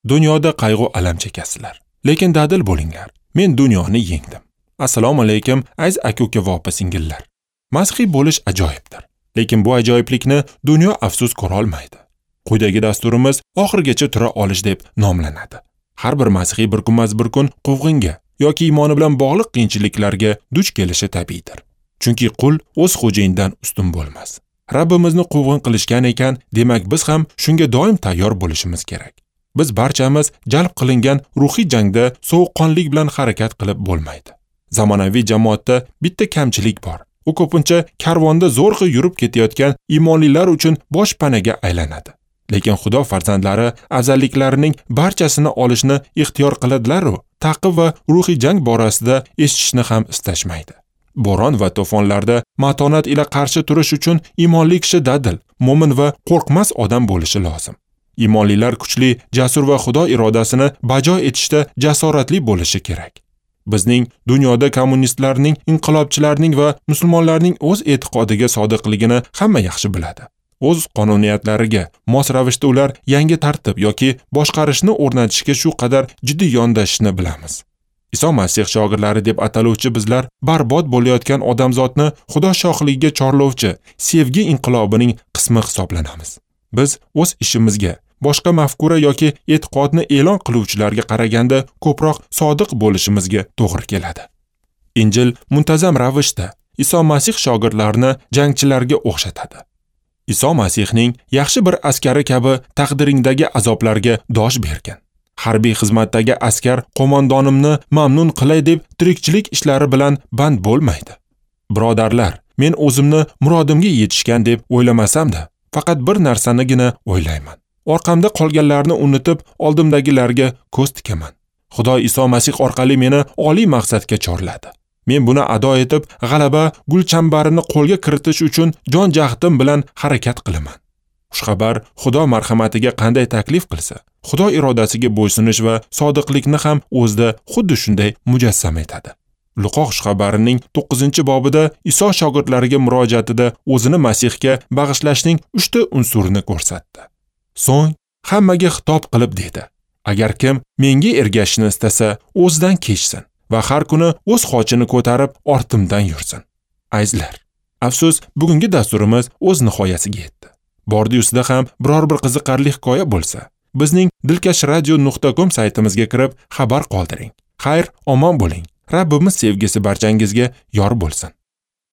Dunyoda qayg'u alam chekasizlar, lekin dadil bo'linglar. Men dunyoni yengdim. Assalomu alaykum, aziz aka-uka va opa-singillar. Masihiy bo'lish ajoyibdir, lekin bu ajoyiblikni dunyo afsus ko'ra olmaydi. Quyidagi dasturimiz oxirigacha tura olish deb nomlanadi. Har bir masihiy bir kunmas bir kun quvg'inga yoki iymoni bilan bog'liq qiyinchiliklarga duch kelishi tabiiydir. Chunki qul o'z xo'jayinidan ustun bo'lmas. Rabbimizni quvg'in qilishgan ekan, demak biz ham shunga doim tayyor bo'lishimiz kerak. Biz barchamiz jalb qilingan ruhiy jangda sovuqqonlik bilan harakat qilib bo'lmaydi. Zamonaviy jamoatda bitta kamchilik bor. U ko'pincha karvonda zo'rg'a yurib ketayotgan iymonlilar uchun boshpanaga aylanadi. Lekin Xudo farzandlari afzalliklarining barchasini olishni ixtiyor qiladilar-u, taqib va ruhiy jang borasida eshitishni ham istashmaydi. Bo'ron va to'fonlarda matonat ila qarshi turish uchun iymonli kishi dadil, mo'min va qo'rqmas odam bo'lishi lozim. Iymonlilar kuchli, jasur va Xudo irodasini bajo etishda jasoratli bo'lishi kerak. Bizning dunyoda kommunistlarning, inqilobchilarning va musulmonlarning o'z e'tiqodiga sodiqligini hamma yaxshi biladi. O'z qonuniyatlariga mos ravishda ular yangi tartib yoki boshqarishni o'rnatishga shu qadar jiddiy yondashishni bilamiz. Iso Masih shogirdlari deb ataluvchi bizlar barbod bo'layotgan odamzodni Xudo shohligiga chorlovchi sevgi inqilobining qismi hisoblanamiz. Biz o'z ishimizga boshqa mafkura yoki e'tiqodni e'lon qiluvchilarga qaraganda ko'proq sodiq bo'lishimizga to'g'ri keladi. Injil muntazam ravishda Iso Masih shogirdlarini jangchilarga o'xshatadi. Iso Masihning yaxshi bir askari kabi taqdiringdagi azoblarga dosh bergan. Harbiy xizmatdagi askar qo'mondonimni mamnun qilay deb tirikchilik ishlari bilan band bo'lmaydi. Birodarlar, men o'zimni murodimga yetishgan deb o'ylamasam-da, faqat bir narsanigina o'ylayman. Orqamda qolganlarni unutib, oldimdagilarga ko'z tikaman. Xudo Iso Masih orqali meni oliy maqsadga chorladi. Men buni ado etib, g'alaba gulchambarini qo'lga kiritish uchun jon jahdim bilan harakat qilaman. Xushxabar Xudo marhamatiga qanday taklif qilsa, Xudo irodasiga bo'ysunish va sodiqlikni ham o'zida xuddi shunday mujassam etadi. Luqo xushxabarining 9-bobida Iso shogirdlariga murojaatida o'zini Masihga bag'ishlashning 3 ta unsurini ko'rsatdi. So'ng hammaga xitob qilib dedi: Agar kim menga ergashishni istasa, o'zidan kechsin va har kuni o'z xochini ko'tarib ortimdan yursin. Azizlar, afsus, bugungi dasturimiz o'z nihoyasiga yetdi. Bordi-ustida ham biror bir qiziqarli hikoya bo'lsa, bizning dilkashradio.com saytimizga kirib xabar qoldiring. Xayr, omon bo'ling. Rabbimiz sevgisi barchangizga yor bo'lsin.